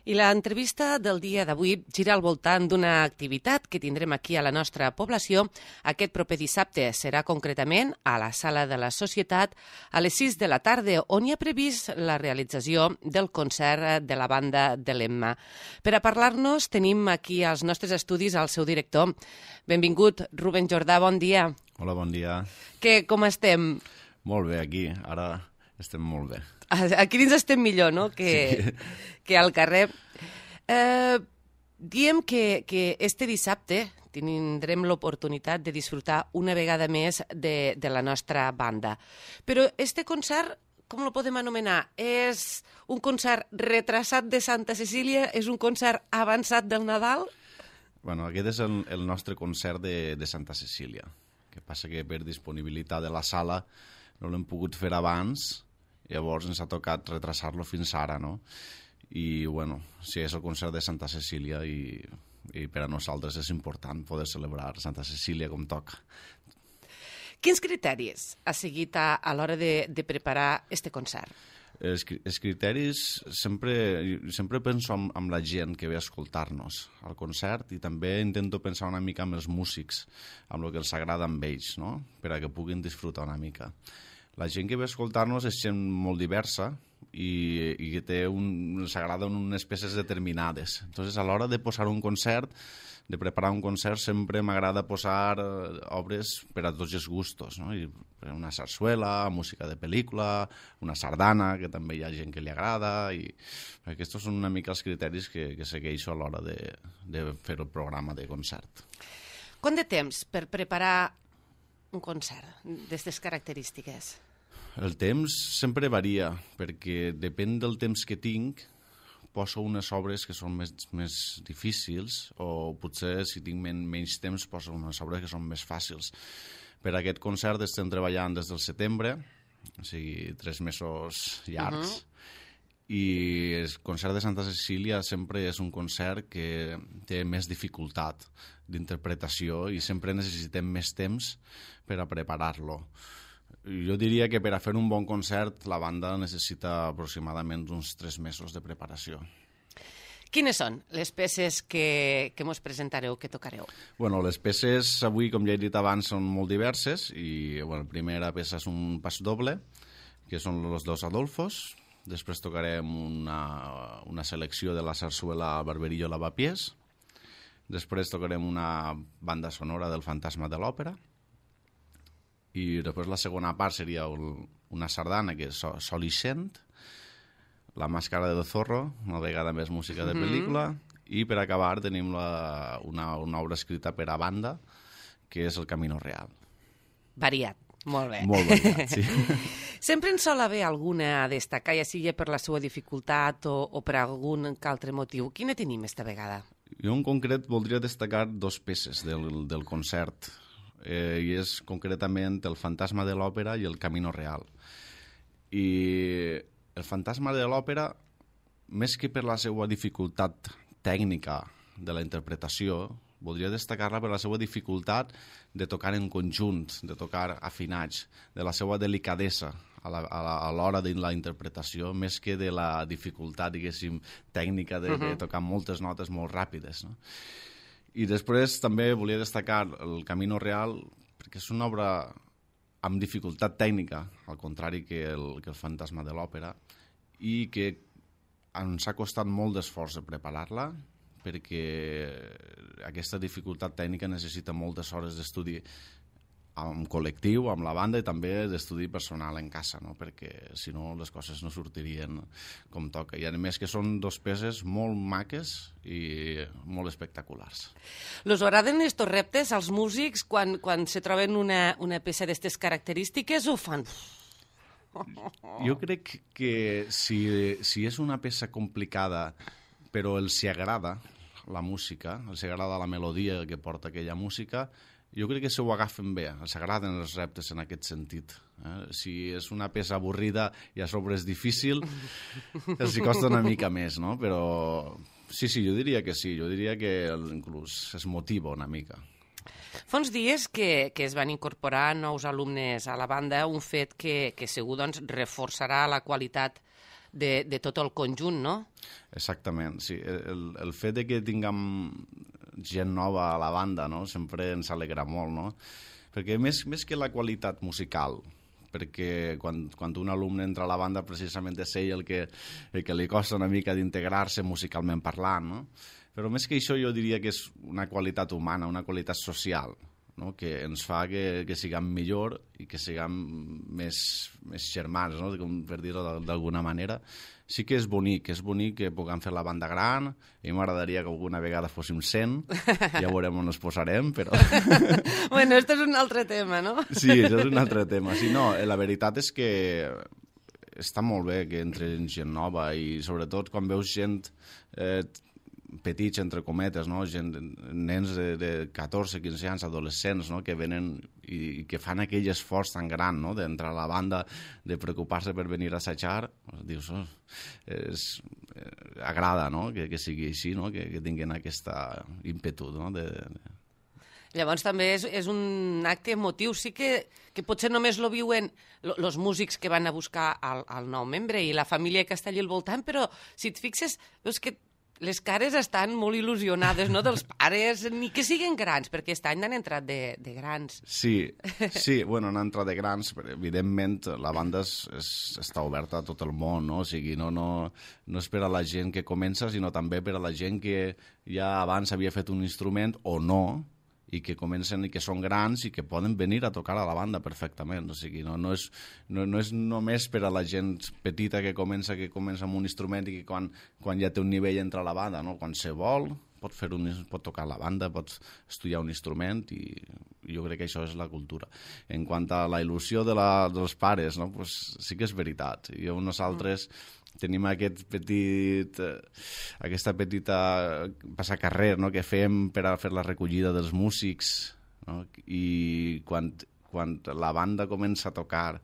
I l'entrevista del dia d'avui gira al voltant d'una activitat que tindrem aquí a la nostra població aquest proper dissabte. Serà concretament a la Sala de la Societat a les 6 de la tarda, on hi ha previst la realització del concert de la banda de l'Emma. Per a parlar-nos tenim aquí als nostres estudis el seu director. Benvingut, Rubén Jordà, bon dia. Hola, bon dia. Com estem? Molt bé, aquí. Ara estem molt bé. Aquí dins estem millor, no?, que al carrer. Diem que este dissabte tindrem l'oportunitat de disfrutar una vegada més de la nostra banda. Però este concert, com lo podem anomenar? És un concert retrasat de Santa Cecília? És un concert avançat del Nadal? Bueno, aquest és el nostre concert de Santa Cecília. El que passa que per disponibilitat de la sala no l'hem pogut fer abans, llavors ens ha tocat retrasar-lo fins ara, no? I, bueno, sí, és el concert de Santa Cecília i per a nosaltres és important poder celebrar Santa Cecília com toca. Quins criteris ha seguit a l'hora de preparar este concert? Els criteris, sempre penso en la gent que ve a escoltar-nos al concert i també intento pensar una mica en els músics, en el que els agrada amb ells, no?, per a que puguin disfrutar una mica. La gent que ve a escoltar-nos és gent molt diversa i que els agraden unes peces determinades. Entonces, a l'hora de posar un concert, de preparar un concert, sempre m'agrada posar obres per a tots els gustos, no? Una sarsuela, música de pel·lícula, una sardana, que també hi ha gent que li agrada, i aquests són una mica els criteris que segueixo a l'hora de fer el programa de concert. Quant de temps per preparar un concert d'aquestes característiques? El temps sempre varia, perquè depèn del temps que tinc, poso unes obres que són més difícils, o potser si tinc menys temps poso unes obres que són més fàcils. Per a aquest concert estem treballant des del setembre, o sigui, 3 mesos llargs, i el concert de Santa Cecília sempre és un concert que té més dificultat d'interpretació i sempre necessitem més temps per a preparar-lo. Jo diria que per a fer un bon concert la banda necessita aproximadament uns 3 mesos de preparació. Quines són les peces que mos presentareu, que tocareu? Bueno, les peces avui, com ja he dit abans, són molt diverses i la primera peça és un pas doble, que són Los dos Adolfos. Després tocarem una selecció de la sarsuela Barberillo Lavapiés. Després tocarem una banda sonora del Fantasma de l'Òpera. I després la segona part seria una sardana, que és Sol i Cent, La màscara del zorro, una vegada més música de pel·lícula, i per acabar tenim una obra escrita per a banda, que és El Camino Real. Variat, molt bé. Molt variat, sí. Sempre en sol haver alguna a destacar, ja sigui per la seva dificultat o per algun altre motiu. Quina tenim esta vegada? Jo en concret voldria destacar 2 peces del concert, i és concretament El Fantasma de l'Òpera i El Camino Real. I El Fantasma de l'Òpera, més que per la seva dificultat tècnica de la interpretació, voldria destacar-la per la seva dificultat de tocar en conjunt, de tocar afinats, de la seva delicadesa a l'hora de la interpretació, més que de la dificultat, diguéssim, tècnica de tocar moltes notes molt ràpides, no? I després també volia destacar El Camino Real, perquè és una obra amb dificultat tècnica, al contrari que el Fantasma de l'Òpera, i que ens ha costat molt d'esforç de preparar-la, perquè aquesta dificultat tècnica necessita moltes hores d'estudi en col·lectiu, amb la banda, i també d'estudi personal en casa, no? Perquè si no les coses no sortirien com toca. I a més que són 2 peces molt maques i molt espectaculars. Els agraden estos reptes als músics quan se troben una peça d'aquestes característiques o fan... Jo crec que si és una peça complicada però els agrada la música, els agrada la melodia que porta aquella música, jo crec que se ho agafen bé, els agraden els reptes en aquest sentit. Si és una peça avorrida i a sobre és difícil, els hi costa una mica més, no? Però sí, jo diria que sí, jo diria que inclús es motiva una mica. Fa uns dies que es van incorporar nous alumnes a la banda, un fet que segur reforçarà la qualitat de tot el conjunt, no? Exactament, sí. El fet de que tinguem gent nova a la banda, no?, sempre ens alegra molt, no? Perquè més que la qualitat musical, perquè quan un alumne entra a la banda precisament és ell el que li costa una mica d'integrar-se musicalment parlant, no? Però més que això jo diria que és una qualitat humana, una qualitat social, no?, que ens fa que siguem millor i que siguem més germans, no?, per dir-ho d'alguna manera. Sí que és bonic que puguem fer la banda gran, i m'agradaria que alguna vegada fóssim 100, ja veurem on ens posarem, però... Bueno, esto és un altre tema, no? Sí, això és un altre tema. Sí, no, la veritat és que està molt bé que entri gent nova i sobretot quan veus gent petits, entre cometes, no? Nens de 14, 15 anys, adolescents, no?, que venen i que fan aquell esforç tan gran, no?, d'entrar a la banda, de preocupar-se per venir a assajar. Dius, agrada, no?, que sigui així, no?, que tinguin aquesta ímpetu, no?, Llavors també és un acte emotiu. Sí que potser només lo viuen els músics que van a buscar el nou membre i la família que està allà al voltant, però si et fixes, veus que les cares estan molt il·lusionades, no?, dels pares, ni que siguin grans, perquè aquest any han entrat de grans. Sí, bueno, han entrat de grans, però evidentment la banda està oberta a tot el món, no? O sigui, no és per a la gent que comença, sinó també per a la gent que ja abans havia fet un instrument o no, i que comencen i que són grans i que poden venir a tocar a la banda perfectament. O sigui, no és només per a la gent petita que comença amb un instrument i que quan ja té un nivell entra a la banda, no? Quan se vol pot tocar a la banda, pot estudiar un instrument, i jo crec que això és la cultura. En quant a la il·lusió dels pares, no? Pues sí que és veritat. Nosaltres tenim aquesta petita passacarrer, no?, que fem per a fer la recollida dels músics, no? I quan la banda comença a tocar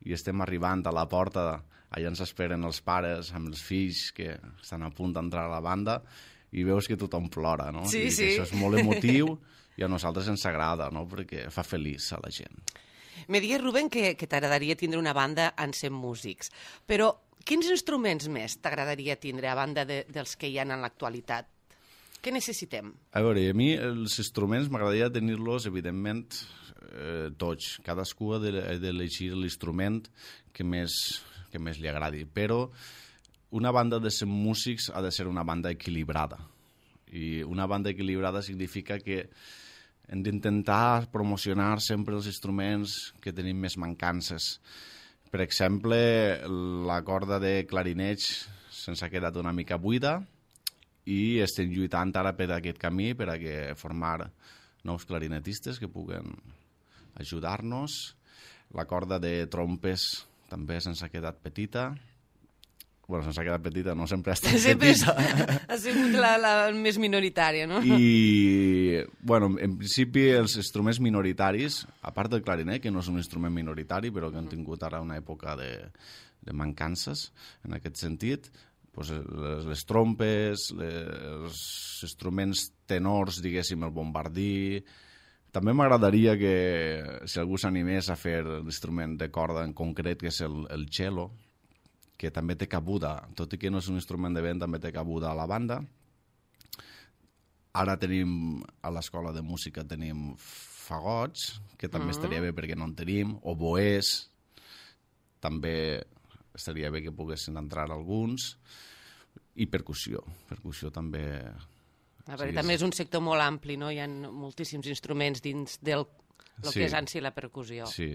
i estem arribant a la porta, allà ens esperen els pares amb els fills que estan a punt d'entrar a la banda, i veus que tothom plora, no? Sí, I sí. això és molt emotiu i a nosaltres ens agrada, no?, perquè fa feliç a la gent. Me digues, Rubén, que t'agradaria tindre una banda amb 100 músics, però quins instruments més t'agradaria tindre a banda dels que hi ha en l'actualitat? Què necessitem? A veure, a mi els instruments m'agradaria tenir-los, evidentment, tots. Cadascú ha d'elegir l'instrument que més li agradi, però una banda de 100 músics ha de ser una banda equilibrada. I una banda equilibrada significa que hem d'intentar promocionar sempre els instruments que tenim més mancances. Per exemple, la corda de clarineig se'ns ha quedat una mica buida i estem lluitant ara per aquest camí, per a formar nous clarinetistes que puguen ajudar-nos. La corda de trompes també se'ns ha quedat petita. Bueno, se'ns ha quedat petita, no sempre ha estat petita. Ha sigut la més minoritària, no? I, bueno, en principi els instruments minoritaris, a part del clarinet, que no és un instrument minoritari, però que han tingut ara una època de mancances en aquest sentit, doncs les trompes, els instruments tenors, diguéssim, el bombardí. També m'agradaria que, si algú s'animés a fer l'instrument de corda en concret, que és el cello, que també té cabuda, tot i que no és un instrument de vent, també té cabuda a la banda. Ara tenim, a l'escola de música, tenim fagots, que també estaria bé perquè no en tenim, oboès, també estaria bé que poguessin entrar alguns, i percussió. Percussió també... A veure, també és un sector molt ampli, no? Hi ha moltíssims instruments dins del que és en si la percussió. Sí.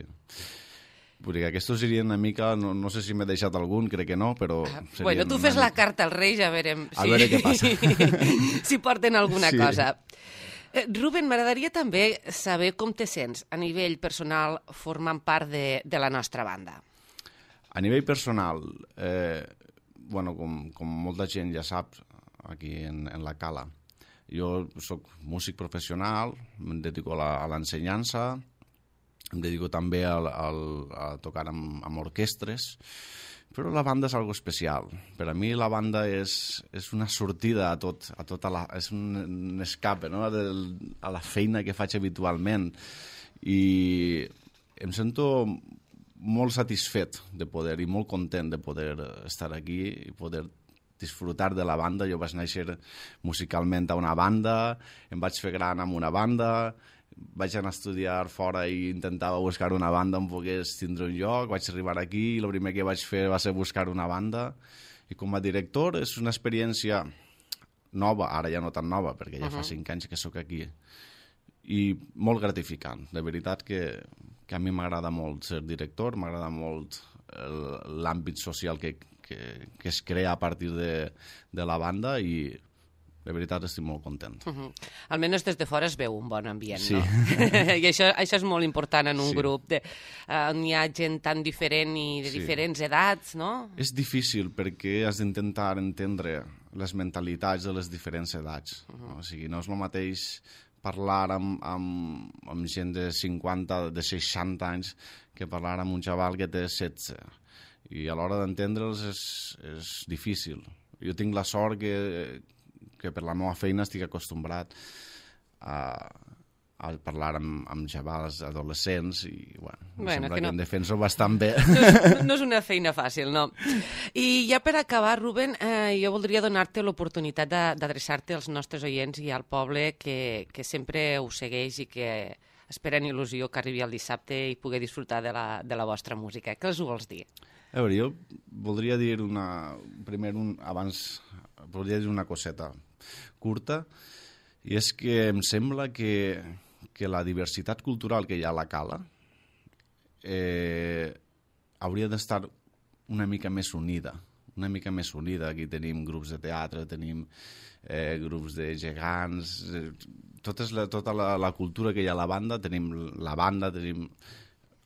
Perquè aquests serien una mica, no sé si m'he deixat algun, crec que no, però... Bueno, tu fes la carta als Reis, a veure què passa. Si porten alguna cosa. Rubén, m'agradaria també saber com te sents a nivell personal formant part de la nostra banda. A nivell personal, bueno, com molta gent ja sap, aquí en la Cala, jo soc músic professional, em dedico a l'ensenyança, em dedico també a tocar amb orquestres, però la banda és algo especial. Per a mi la banda és una sortida és un escape, no?, a la feina que faig habitualment, i em sento molt satisfet de poder i molt content de poder estar aquí i poder disfrutar de la banda. Jo vaig néixer musicalment a una banda, em vaig fer gran amb una banda, vaig anar a estudiar fora i intentava buscar una banda on pogués tindre un lloc, vaig arribar aquí i el primer que vaig fer va ser buscar una banda. I com a director és una experiència nova, ara ja no tan nova, perquè ja fa 5 anys que sóc aquí, i molt gratificant. De veritat que a mi m'agrada molt ser director, m'agrada molt l'àmbit social que es crea a partir de la banda i de veritat estic molt content. Almenys des de fora es veu un bon ambient, sí. No? I això és molt important en un grup on hi ha gent tan diferent i de diferents edats, no? És difícil perquè has d'intentar entendre les mentalitats de les diferents edats. O sigui, no és el mateix parlar amb gent de 50, de 60 anys que parlar amb un xaval que té 16. I a l'hora d'entendre'ls és difícil. Jo tinc la sort que per la meva feina estic acostumbrat a parlar amb xavals adolescents i sembla que em defenso bastant bé. No és una feina fàcil, no. I ja per acabar, Rubén, jo voldria donar-te l'oportunitat d'adreçar-te als nostres oients i al poble que sempre us segueix i que esperen il·lusió que arribi el dissabte i pugui disfrutar de la vostra música. Què els vols dir? A veure, jo voldria dir voldria dir una coseta curta, i és que em sembla que la diversitat cultural que hi ha a la Cala hauria d'estar una mica més unida. Aquí tenim grups de teatre, tenim grups de gegants, tota la cultura que hi ha a la banda, tenim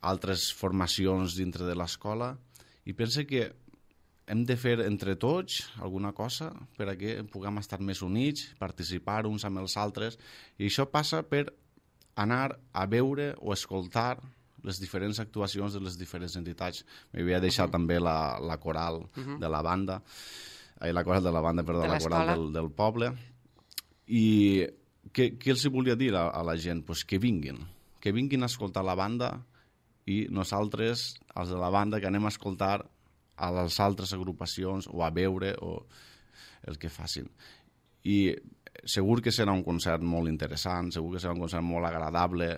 altres formacions dintre de l'escola, i penso que hem de fer entre tots alguna cosa per a que puguem estar més units, participar uns amb els altres, i això passa per anar a veure o escoltar les diferents actuacions de les diferents entitats. M'havia deixat també la coral de la banda, la coral del poble. I què els volia dir a la gent? Pues que vinguin a escoltar la banda, i nosaltres, els de la banda, que anem a escoltar a les altres agrupacions o a veure o el que facin. I segur que serà un concert molt interessant, segur que serà un concert molt agradable,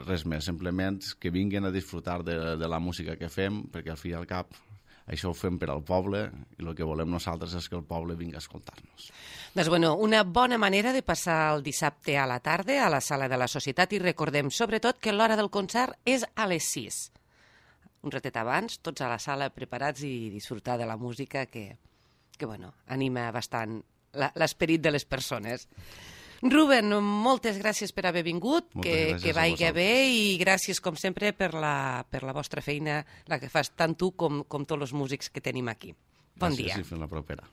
res més, simplement que vinguin a disfrutar de la música que fem, perquè al fi i al cap això ho fem per al poble i el que volem nosaltres és que el poble vingui a escoltar-nos. Doncs bueno, una bona manera de passar el dissabte a la tarda a la Sala de la Societat, i recordem sobretot que l'hora del concert és a les 6. Un ratet abans, tots a la sala preparats i disfrutar de la música que anima bastant l'esperit de les persones. Rubén, moltes gràcies per haver vingut, que vagi bé, i gràcies, com sempre, per la vostra feina, la que fas tant tu com tots els músics que tenim aquí. Bon dia. Gràcies i fins la propera.